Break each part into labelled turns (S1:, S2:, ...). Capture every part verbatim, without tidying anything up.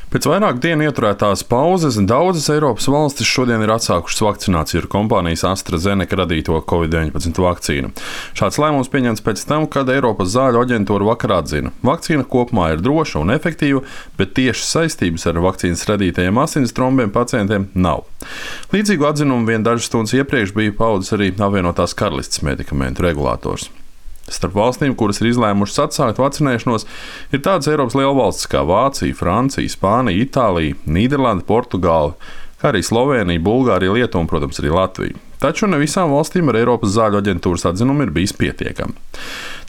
S1: Pēc vairāku dienu ieturētās pauzes daudzas Eiropas valstis šodien ir atsākušas vakcināciju ar kompānijas AstraZeneca radīto covid deviņpadsmit vakcīnu. Šāds lēmums pieņemts pēc tam, kad Eiropas zāļu aģentūra vakar atzina, vakcīna kopumā ir droša un efektīva, bet tieši saistības ar vakcīnas radītajiem asins trombiem pacientiem nav. Līdzīgu atzinumu vien dažas stundas iepriekš bija paudis arī apvienotās karalistes medikamentu regulators. Starp valstīm, kuras ir izlēmušas atsākt vakcinēšanos, ir tādas Eiropas lielvalstis kā Vācija, Francija, Spānija, Itālija, Nīderlande, Portugāla, kā arī Slovēnija, Bulgārija, Lietuva un, protams, arī Latvija. Taču ne visām valstīm ar Eiropas zāļu aģentūras atzinumu ir bijis pietiekami.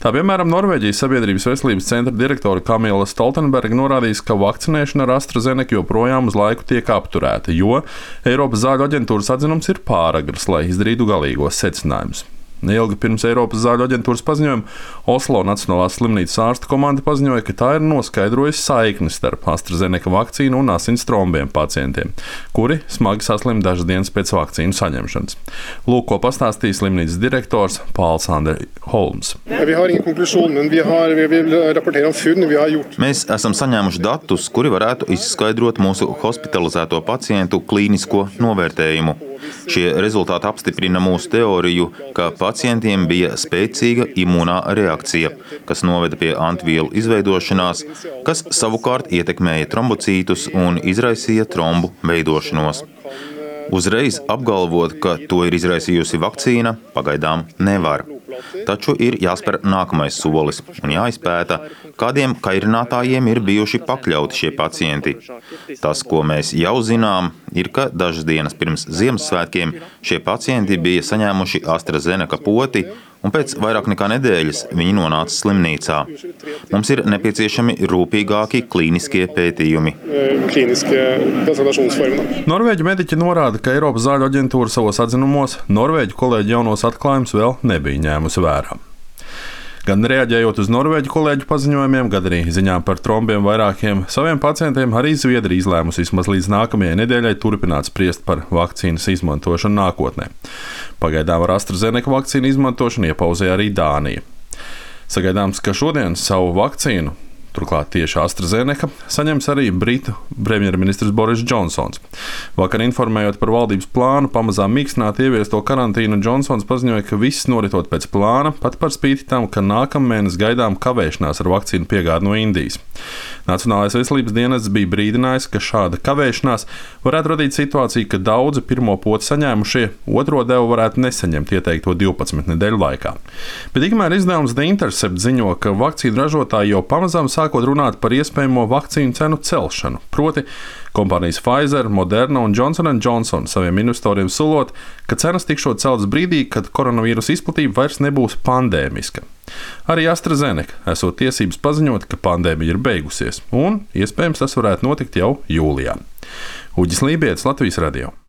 S1: Tā piemēram, Norvēģijas Sabiedrības veselības centra direktore Kamila Stoltenberga norādījis, ka vakcinēšana ar AstraZeneca joprojām uz laiku tiek apturēta, jo Eiropas zāļu aģentūras atzinums ir pāragrs, lai izdarītu galīgos secinājumus. Neilgi pirms Eiropas zāļu aģentūras paziņojuma Oslo Nacionālās slimnīcas ārstu komanda paziņoja, ka tā ir noskaidrojusi saikni starp AstraZeneca vakcīnu un asins trombiem pacientiem, kuri smagi saslim dažas dienas pēc vakcīnu saņemšanas. Lūk, ko pastāstīja slimnīcas direktors Pāls Andri Holms.
S2: Mēs esam saņēmuši datus, kuri varētu izskaidrot mūsu hospitalizēto pacientu klīnisko novērtējumu. Šie rezultāti apstiprina mūsu teoriju, ka pacientiem bija spēcīga imūnā reakcija, kas noveda pie antivielu izveidošanās, kas savukārt ietekmēja trombocītus un izraisīja trombu veidošanos. Uzreiz apgalvot, ka to ir izraisījusi vakcīna, pagaidām nevar. Taču ir jāspēr nākamais solis un jāizpēta, kādiem kairinātājiem ir bijuši pakļauti šie pacienti. Tas, ko mēs jau zinām, ir, ka dažas dienas pirms Ziemassvētkiem šie pacienti bija saņēmuši AstraZeneca poti, un pēc vairāk nekā nedēļas viņi nonāca slimnīcā. Mums ir nepieciešami rūpīgāki klīniskie pētījumi.
S1: Norvēģu mediķi norāda, ka Eiropas zāļu aģentūra savos atzinumos Norvēģu kolēģu jaunos atklājumus vēl nebija ņēmusi vērā. Gan reaģējot uz norvēģu kolēģu paziņojumiem, gan arī ziņām par trombiem vairākiem saviem pacientiem, arī Zviedrija izlēmusi vismaz līdz nākamajai nedēļai turpināt spriest par vakcīnas izmantošanu nākotnē. Pagaidām ar AstraZeneca vakcīnu izmantošanu iepauzēja arī Dānija. Sagaidāms, ka šodien savu vakcīnu, turklāt tieši AstraZeneca, saņems arī Britu premjerministrs Boris Džonsons. Vakar informējot par valdības plānu pamazām mīkstināt ieviesto karantīnu, Džonsons paziņoja, ka viss noritot pēc plāna, pat par spīti tam, ka nākamēnes gaidām kavēšanās ar vakcīnu piegādi no Indijas. Nacionālais veselības dienests bija brīdinājis, ka šāda kavēšanās varētu radīt situāciju, ka daudzi pirmo poti saņēmušie otro devu varētu nesaņemt ieteikto divpadsmit nedēļu laikā. Bet tikmēr izdevums The Intercept ziņo, ka vakcīnu ražotāji jau pamazām sākot runāt par iespējamo vakcīnu cenu celšanu, proti kompānijas Pfizer, Moderna un Johnson and Johnson saviem investoriem solot, ka cenas tikšot celtas brīdī, kad koronavīrusa izplatība vairs nebūs pandēmiska. Arī AstraZeneca esot tiesības paziņot, ka pandēmija ir beigusies, un iespējams tas varētu notikt jau jūlijā. Uģis Lībietis, Latvijas radio.